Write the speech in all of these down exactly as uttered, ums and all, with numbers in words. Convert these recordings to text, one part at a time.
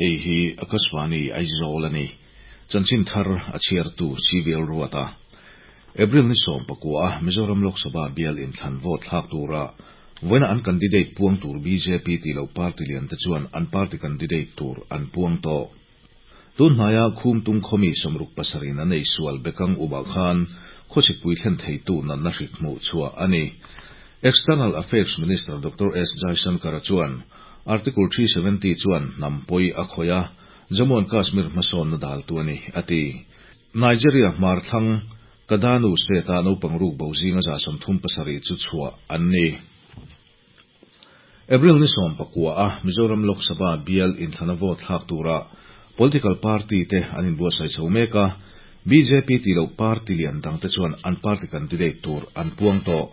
Hei hi Akashvani Aizawl a ni. Chanchin thar a chhiartu C V L Ruata. April ni sawm pakua Mizoram Lok Sabha bial inthlan vote thlak tura voina an candidate puang tur B J P ti lo party lian te chuan an party candidate tur an puang tawh. Tun hnaia Khumtung khawmi sawmruk pasarin an ei sual bekang uba khan khawsikpui thlen theitu natna hrik hmuh chhuah a ni. External Affairs Minister Doctor S Jaishankar chuan Article three seventy chuan hnampui a khawih a, Jammu and Kashmir hmasawn na dal tu ani ati. Nigeria hmar thlang Kaduna State a naupang ruk bo zinga za sawmthum pasarih chu chhuah an ni. April ni sawm pakua a Mizoram Lok Sabha bial inthlana vote thlak tura political party te an inbuatsaih chho mek a, B J P ti lo party lian dang te chuan an party candidate tur an puang tawh.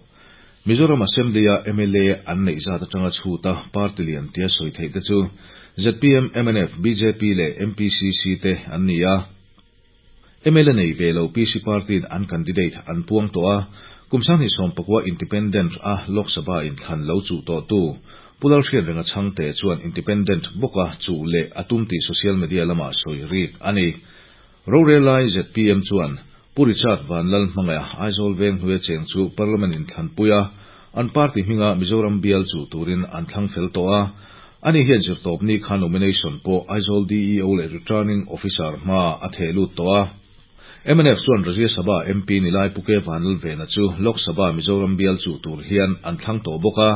Mizoram Assembly a M L A an neih zat atanga chhuta party lian tia sawi theih te chu Z P M, M N F, B J P leh M P C C te an ni a. M L A nei ve lo P C party an candidate an puang tawh a, kum sanghnih sawm pakua independent a Lok Sabha inthlan lo chu tawh tu Pu Lalhriatrenga Chhangte chuan independent bawka chu leh atum tih social media lama sawi rik ani. Rorelai Z P M chuan Pu Richard Vanlalhmangaiha, Aizawl veng hnuai cheng chu Parliament inthlan puia an party hminga Mizoram bial chu turin an thlang fel tawh a. Ani hian zirtawp ni khan nomination pawh Aizawl D E O leh Returning Officer hma a theh lut tawh a. M N F chuan Rajya Sabha M P Nilai Pu K Vanlalvena chu Lok Sabha Mizoram bial chu tur hian an thlang tawh bawk a.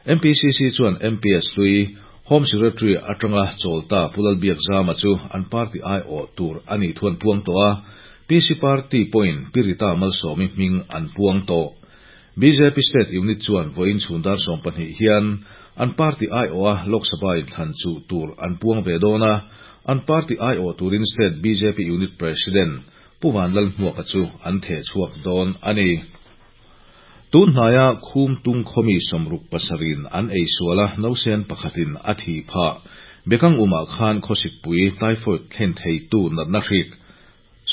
M P C C chuan M P S hlui, Home Secretary atanga chawlta Pu Lalbiakzama chu an party ai awh tur ani thuan puang tawh a. P C Party point Pi Rita Malsawmi hming an puang tawh. B J P State Unit chuan vawiin chhun dar sawm pahnih hian an party ai awh a Lok Sabha inthlan chu tur an puang ve dawn a. An party ai awh turin State B J P Unit President Pu Vanlalhmuaka chu an theh chhuak dawn ani. Tun hnaia Khumtung khawmi sawmruk pasarin an ei suala nausen pakhatin a thi pha bekang uma khan khawsikpui typhoid thlen theitu natna hrik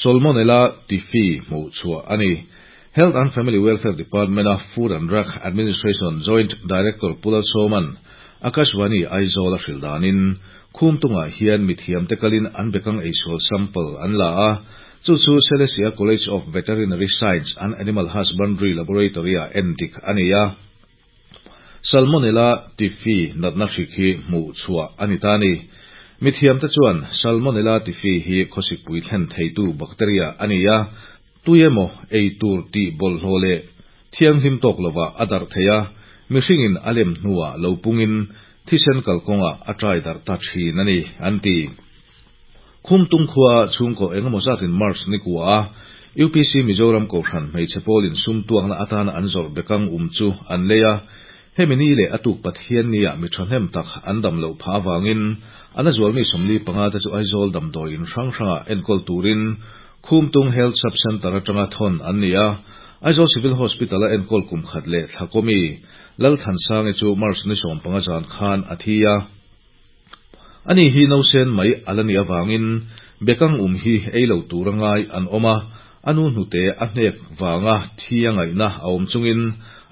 Salmonella typhi hmuh chhuah ani. Health and Family Welfare Department a Food and Drug Administration Joint Director Pu Lalsawma'n Akashvani Aizawl a hril danin Khumtunga hian mithiam te kalin an bekang eisual sample an la a, chu chu Siaha College of Veterinary Science and Animal Husbandry Laboratory a endik ani a. Salmonella typhi natna hrik hi hmuh chhuah ani ta ni. Mithiam te chuan Salmonella typhi hi khawsikpui thlen theitu bacteria ani a, tuemaw ei tur ti bawlhhlawh leh thianghlim tawk lova a darh thei a, mihringin a lem hnuah lo pungin thisen kalkawnga a ṭai darh ta ṭhin ani an ti. Khumtung khua chhungkaw engemaw zatin March ni kua a U P C Mizoram Kohhran hmeichhe pawlin sum tuakna atana an zawrh bekang um chu an lei a. Hemi ni leh atuk Pathian nia mi ṭhahnem tak an dam loh phah awangin an a zualmi sawmli panga te chu Aizawl damdawiin hrang hranga enkawl turin Khumtung Health Sub Center atanga thawn an ni a. Aizawl Civil Hospital a enkawl kum khat leh thlakomi Lalthansangi chu March ni sawm panga zan khan a thi a. Ani hi nausen mai ala ni awangin bekang um hi ei lo tur angai an awm a, anu hnute a hnek wanga thi a ngaihna a awm chungin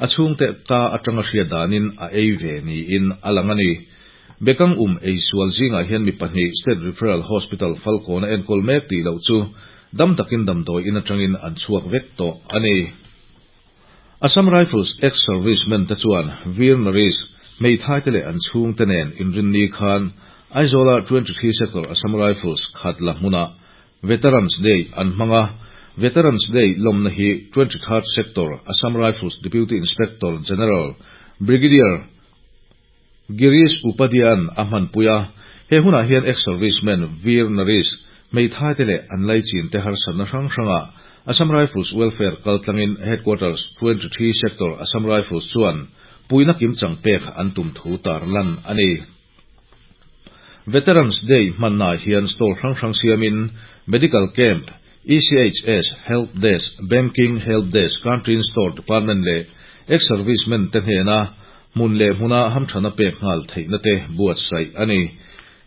a chhungte ka atanga hriat danin a ei ve niin a lang ani. Bekang um ei sual zingah hian mi pahnih State Referral Hospital Falkawn a enkawl mek tih loh chu dam takin damdawi in atangin an chhuak vek tawh ani. Assam Rifles ex-servicemen te chuan Veer Naris hmeithai te leh an chhung te nen inrinni khan Aizawla twenty-three Sector Assam Rifles khatla hmuna Veterans Day an hmanga. Veterans Day lawmna hi twenty-third Sector Assam Rifles Deputy Inspector General Brigadier Girish Upadhyay a hmanpui a. He hunah hian ex-servicemen Veer Naris hmeithai te leh an laichin te harsatna hrang hranga Assam Rifles Welfare kaltlangin Headquarters twenty-three Sector Assam Rifles chuan puina kimchang pek an tum thu tar lan ani. Veterans Day hmanna hian stall hrang hrang siamin Medical Camp, E C H S, Help Desk, Banking Help Desk, Canteen Store Department leh ex-servicemen te hnena hmun leh hmuna hamthana pek nghal theihna te buatsaih ani.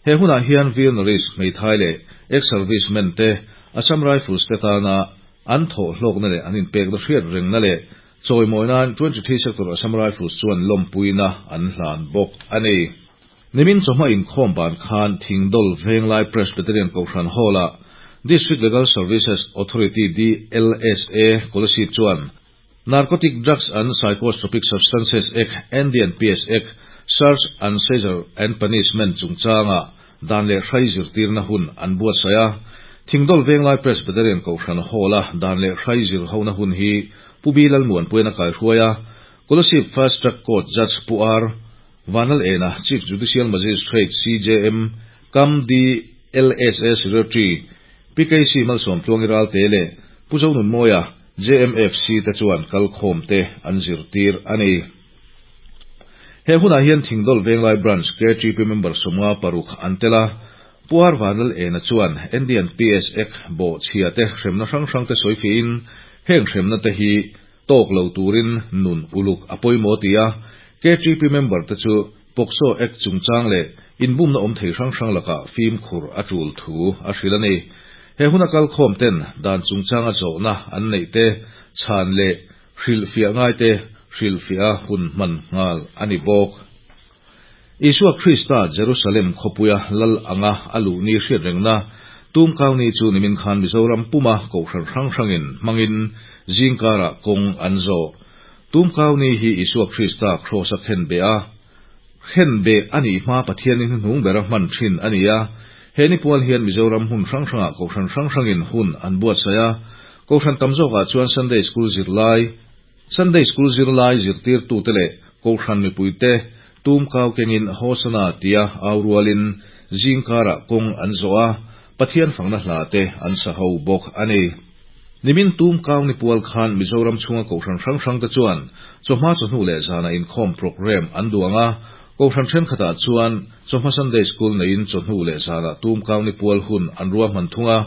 He hunah hian Veer Naris hmeithai leh ex-servicemen te Assam Rifles te tana an thaw hlawkna leh an inpekna hriat rengna leh chawimawi nan twenty-three Sector Assam Rifles chuan lawmpuina an hlan bawk ani. Nimin chawhma inkhawm ban khan Thingdawl Venglai Presbyterian Kohhran Hall-ah District Legal Services Authority, D L S A, Kolasib chuan Narcotic Drugs and Psychotropic Substances Act, N D P S Act, Search and Seizure and Punishment chungchanga dan leh hrai zirtirna hun an buatsaih a. Thingdawl Venglai Presbyterian Kohhran Hall-a dan leh hrai zir hona hun hi Pu B Lalmuanpuian a kaihruai a. Kolasib Fast Track Court Judge Pu R Vanal Ena, Chief Judicial Magistrate, C J M, cum D L S A Secretary P K C Malsawmtluangi Ralte leh Pu Zonunmawia J M F C te chuan kalkhawm te an zirtir a ni. He hunah hian Thingdawl Venglai Branch K T P member sawmnga paruk an tel a. Pu R Vanal Ena chuan N D P S Act bawhchhia te hremna hrang hrang te sawi fiahin heng hremna te hi tawk lo turin nun uluk a pawimawh ti a. K T P member te chu POCSO Act chungchang leh inbumna awm thei hrang hrang lakah fimkhur a tul thu a hrilh a ni. He huna kalkhawm ten dan chungchanga zawhna an neih te chhan leh hrilhfiah ngai te hrilhfiah hun hman nghal a ni bawk. Isua Krista Jerusalem khawpuia lal anga a luh ni hriat rengna Tumkau ni chu nimin khan Mizoram puma kohhran hrang hrangin hmangin zingkarah kawng an zawh. Tumkau ni hi Isua Krista kraws a khen be a khen be ani hma Pathianin hnuhnung bera hman thin a ni a. He ni pual hian Mizoram hmun hrang hrangah kohhran hrang hrangin hun an buatsaih a. Kohhran tam zawkah chuan Sunday School zirlai Sunday School zirlai zirtirtute leh kohhran mipuite tumkau kengin Hosana tia au rualin zingkarah kawng an zawh a, Pathian fakna hla te an sa ho bawk a ni. Nimin tumkau ni pual khan Mizoram chhunga kohhran hrang hrang te chuan chawhma, chawhnu leh zana inkhawm program an duang a. Kohhran thenkhatah chuan chawhma Sunday School neiin chawhnu leh zana tumkau ni pual hun an ruahman thung a.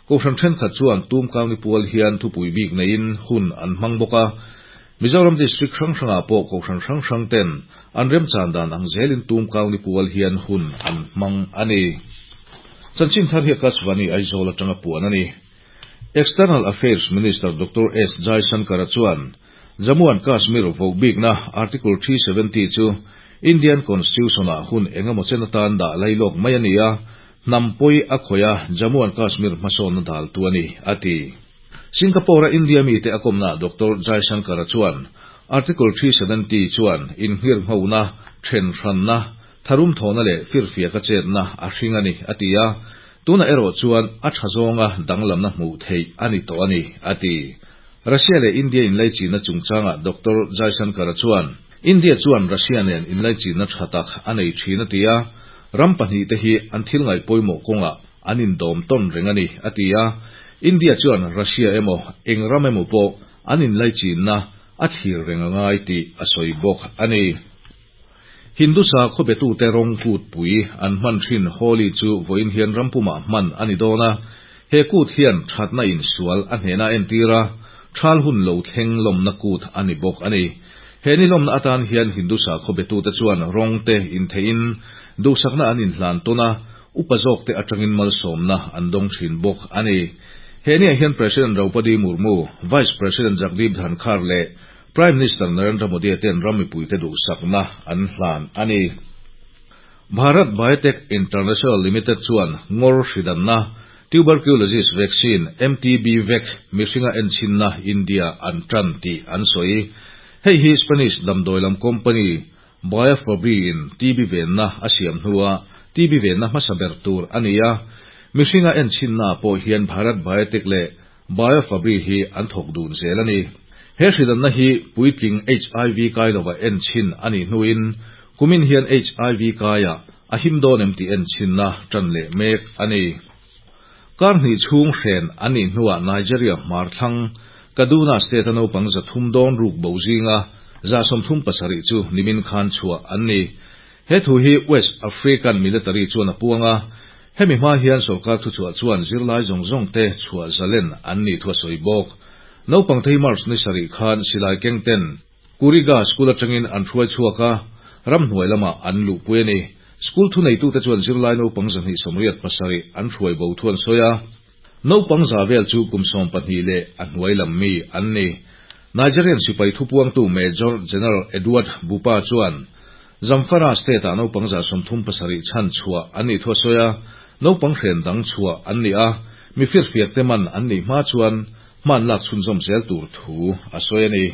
Kohhran thenkhat chuan tumkau ni pual hian thupui bik neiin hun an hmang bawk a. Mizoram District hrang hrangah pawh kohhran hrang hrang ten an remchan dan ang zelin tumkau ni pual hian hun an hmang a ni. Chanchin thar hi Akashvani Aizawl atanga puan a ni. External Affairs Minister Doctor S Jaishankar chuan Jammu and Kashmir vohbikna Article three seventy chu Indian Constitution ah hun engemaw chen atan dah lailawk mai a ni a, hnam pawi a khawih a, Jammu and Kashmir hmasawnna dal tu a ni, a ti. Singapore a India mi te a kawmna Doctor Jaishankar chuan Article three seventy chuan inhir nghona then hranna tharum thawna leh firfiak a chetna a hring a ni, a ti a. Tuna erawh chuan a tha zawnga danglamna hmuh theih a ni tawh a ni, a ti. Russia leh India inlaichinna chungchanga Doctor Jaishankar chuan India chuan Russia nen inlaichinna tha tak a nei thin a ti a. Ram pahnih te hi an thil ngaih pawimawh kawngah an indawm tawn reng a ni, a ti a. India chuan Russia emaw eng ram emaw pawh an inlaichinna a thlir reng angai tih a sawi bawk a ni. Hindu sakhaw betute rawng kut pui an hman thin Holi chu vawiin hian rampumah hman a ni dawn a. He kut hian thatna in sual a hnena entir a, thal hun lo thleng lawmna kut a ni bawk a ni. He ni lawmna atan hian Hindu sakhaw betute chuan rawng te intheiin duhsakna an inhlan tawn a, upa zawk te atangin malsawmna an dawng thin bawk a ni. He ni ah hian President Draupadi Murmu, Vice President Jagdeep Dhankhar leh Prime Minister Narendra Modi ten ram mipuite duhsakna an hlan a ni. Bharat Biotech International Limited chuan ngawr hridanna tuberculosis vaccine M T B Vac mihringa enchinna India an tan tih an sawi. Hei hi Spanish damdawi lam company Biofabri in T B venna a siam hnuah T B venna hmasa ber tur a ni a. Mihringa enchinna pawh hian Bharat Biotech leh Biofabri hi an thawk dun zel a ni. He hridanna hi puitling H I V kai lova enchin a nih hnuin kumin hian H I V kaia a him dawn em tih enchinna tan leh mek a ni. Kar hnih chhung hren an nih hnuah Nigeria hmar thlang Kaduna State a naupang zathum dawn ruk bo zinga za sawmthum pasarih chu nimin khan chhuah an ni. He thu hi West African Military chuan a puang a. Hemi hma hian sorkar thuchhuah chuan zirlai zawng zawng te chhuah zalen an nih thu a sawi bawk. Naupang thei March ni sarih khan silai keng ten Kuriga School atangin an hruai chhuak a, ramhnuai lamah an luhpui a ni. School thuneitute chuan zirlai naupang zahnih sawmriat pasarih an hruai bo thu an sawi a. Naupang za vel chu kum sawm pahnih leh a hnuai lam mi an ni. Nigerian sipai thupuangtu Major General Edward Buba chuan Zamfara state-ah naupang za sawmthum pasarih chhanchhuah an nih thu a sawi a, naupang hren dang chhuah an ni a, mi firfiakte man an nih hma chuan hma an lak chhunzawm zel tur thu a sawi a ni.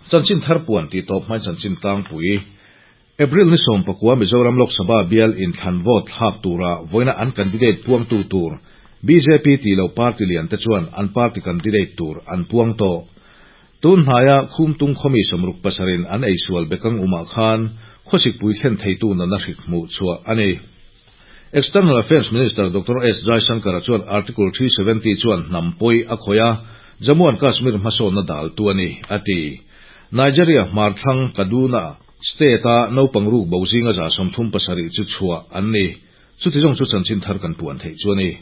Chanchin thar puan tih tawp hmain chanchin tlangpui. April ni sawm pakua Mizoram Lok Sabha bial inthlan vote thlak tura vawiina an candidate puangtu tur bjp tih loh party lian te chuan an party candidate tur an puang tawh. Tun hnaia Khumtung khawmi sawmruk pasarin an eisual bekang umah khan khawsikpui thlen theitu nana hrik hmuh chhuah a ni. External Affairs Minister Doctor S Jaishankar-a chuan Article three seventy chuan hnam pawi a khawih a, Jammu and Kashmir hmasawnna daltu a ni, a ti. Nigeria hmarthlang Kaduna State-a naupang ruk bo zinga za sawmthum pasarih chu chhuah an ni. Chuti zawng chu chanchin thar kan puan theih chu a ni.